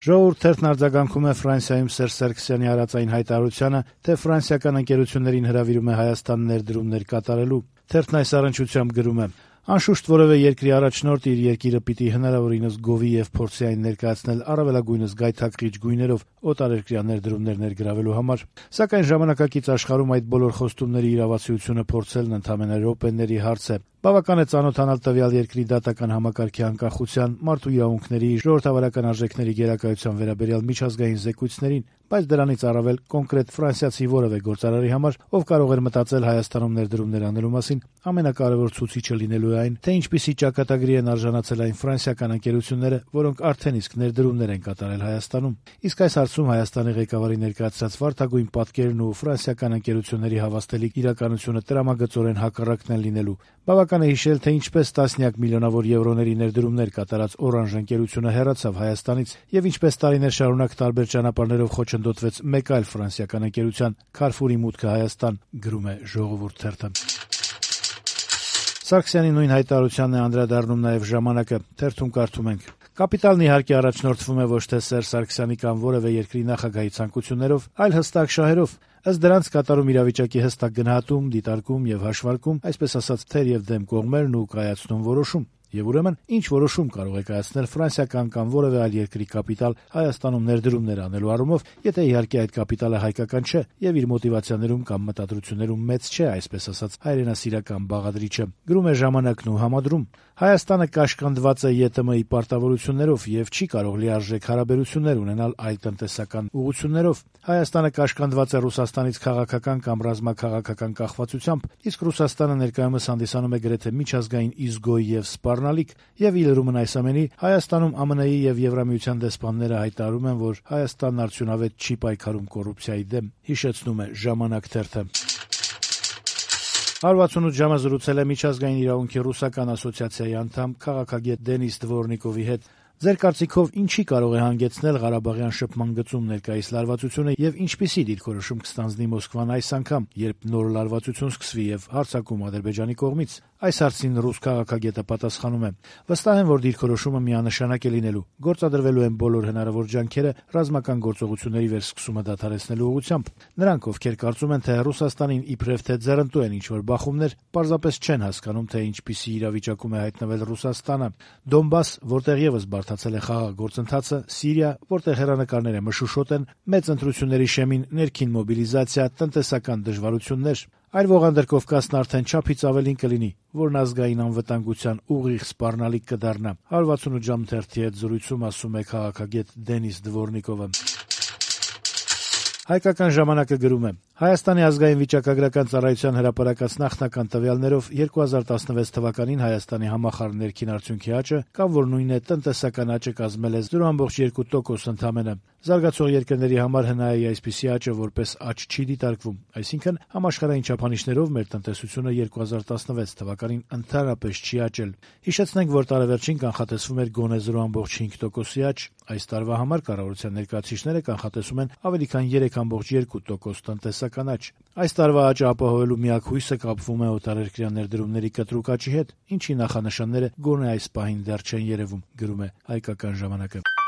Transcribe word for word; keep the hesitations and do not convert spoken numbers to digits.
Ժողովուրդ թերթն արձագանքում է Ֆրանսիայում Սերժ Սարգսյանի հարածային հայտարարությանը, թե ֆրանսիական ընկերություններին հրավիրում է Հայաստան ներդրումներ կատարելու։ Թերթն այս առնչությամբ գրում է. «Անշուշտ որևէ երկրի առաջնորդ իր երկիրը պիտի հնարավորինս գովի եւ փորձի այն ներկայացնել առավելագույնս գայթակղիչ գույներով օտարերկրյա ներդրումներ ներգրավելու համար, սակայն ժամանակակից աշխարհում այդ բոլոր խոստումների իրավացիությունը փորձելն ընդամենը րոպեների հարց է։ Բավական է ծանոթանալ տվյալ երկրի դատական համակարգի անկախության, մարդու իրավունքների, ժողովրդավարական արժեքների գերակայության վերաբերյալ միջազգային զեկույցներին, բայց դրանից առավել կոնկրետ ֆրանսիացի որևէ գործարարի համար, ով կարող էր մտածել Հայաստանում ներդրումներ անելու մասին, ամենակարևոր ցուցիչը լինելու է այն, թե ինչպիսի ճակատագրի են արժանացել այն ֆրանսիական ընկերությունները, որոնք արդեն իսկ ներդրումներ են կատարել Հայաստանում։ Իսկ այս հարցում Հայաստանի ղեկավարի ներկայացրած վարդագույն պատկերն ու ֆրանսիական ընկերությունների հավաստելի իրականությունը տրամագծորեն հակառակն են լինելու։ Բավական է հիշել, թե ինչպես տասնյակ միլիոնավոր եվրոների ներդրումներ կատարած Օրանժ ընկերությունը հեռացավ Հայաստանից եւ ինչպես տարիներ շարունակ տարբեր ճանապարհներով խոչընդոտվեց մեկ այլ ֆրանսիական ընկերության՝ Քարֆուրի մուտքը Հայաստան, գրում է Ժողովուրդ թերթը։ Սարգսյանի նույն հայտարարությանն է անդրադառնում նաեւ Ժամանակը։ Թերթում կարդում ենք. «Կապիտալն իհարկե առաջնորդվում է ոչ թե Սերժ Սարգսյանի կամ որևէ երկրի նախագահի ցանկություններով, այլ հստակ շահերով։ Ըստ դրանց կատարում իրավիճակի հստակ գնահատում, դիտարկում եւ հաշվարկում, այսպես ասած, թեր եւ դեմ կողմերն ու կայացնում որոշում։ Եվ ուրեմն, ինչ որոշում կարող է կայացնել ֆրանսիական կամ որևէ այլ երկրի կապիտալ Հայաստանում ներդրումներ անելու առումով, եթե իհարկե այդ կապիտալը հայկական չէ եւ իր մոտիվացիաներում կամ մտադրություններում մեծ չէ, այսպես ասած, հայրենասիրական բաղադրիչը», գրում է Ժամանակն ու համադրում. «Հայաստանը կաշկանդված է ԵՏՄ-ի պարտավորություններով եւ չի կարող լիարժեք հարաբերություններ ունենալ այլ տնտեսական ուղղություններով։ Հայաստանը կաշկանդված է Ռուսաստանից քաղաքական կամ ռազմաքաղաքական կախվածությամբ, իսկ Ռուսաստանը ներկայումս հանդիսանում է գրեթե միջազգային իզգոյ եւ սպառնալիք, եւ ի լրումն այս ամենի, Հայաստանում ԱՄՆ-ի եւ Եվրամիության դեսպանները հայտարարում են, որ Հայաստանն արդյունավետ չի պայքարում կոռուպցիայի դեմ», հիշեցնում է Ժամանակ թերթը։ հարյուր վաթսունութ ժամը զրուցել է Միջազգային իրավունքի ռուսական ասոցիացիայի անդամ քաղաքագետ Դենիս Դվորնիկովի հետ։ Ձեր կարծիքով ինչի կարող է հանգեցնել Ղարաբաղյան շփման գծում ներկայիս լարվածությունը եւ ինչպիսի դիրքորոշում կստանձնի Մոսկվան այս անգամ, երբ նոր լարվածություն սկսվի եւ հարձակում Ադրբեջանի կողմից։ Այս հարցին ռուս քաղաքագետը պատասխանում է. «Վստահ եմ, որ դիրքորոշումը միանշանակ է լինելու։ Գործադրվելու են բոլոր հնարավոր ջանքերը ռազմական գործողությունների վերսկսումը դադարեցնելու ուղղությամբ։ Նրանք, ովքեր կարծում են, թե Ռուսաստանին իբրև թե ձեռնտու են ինչ-որ բախումներ, պարզապես չեն հասկանում, թե ինչպիսի իրավիճակում է հայտնվել Ռուսաստանը։ Դոնբաս, որտեղ եւս բարդացել է խաղաղ գործընթացը, Սիրիա, որտեղ հեռանկարները մշուշոտ են, մեծ ընտրությունների շեմին ներքին մոբիլիզացիա, տնտեսական դժվարություններ։ Այլ ողանդր Կովկասն արդեն չափից ավելին կլինի, որն ազգային անվտանգության ուղիղ սպառնալիք կդառնա», հարյուր վաթսունութ ժամ թերթի հետ զրույցում ասում է քաղաքագետ Դենիս Դվորնիկովը։ Հայկական ժամանակը գրում է. «Հայաստանի ազգային վիճակագրական ծառայության հրապարակած նախնական տվյալներով երկու հազար տասնվեց թվականին Հայաստանի համախառն ներքին արդյունքի աճը, կամ որ նույնն է տնտեսական աճը կազմել է զրո կόμμα երկու տոկոս ընդամենը։ Զարգացող երկրների համար հնայի այսպիսի աճը որպես աճ չի դիտարկվում, այսինքն համաշխարհային չափանիշներով մեր տնտեսությունը երկու հազար տասնվեց թվականին ընդհանրապես չի աճել։ Հիշեցնենք, որ տարեվերջին կանխատեսվում էր գոնե զրո կόμμα հինգ տոկոսի աճ, այս տարվա համար կառավարության ներկայացուցիչները կանխատեսում են ավելի քան երեք կόμμα երկու տոկոս տնտեսական աճ։ Այս տարվա աճը ապահովելու միակ հույսը կապվում է օտարերկրյա ներդրումների կտրուկ աճի հետ, ինչի նախանշանները գոնե այս պահին դեռ չեն երևում», գրում է Հայկական ժամանակը։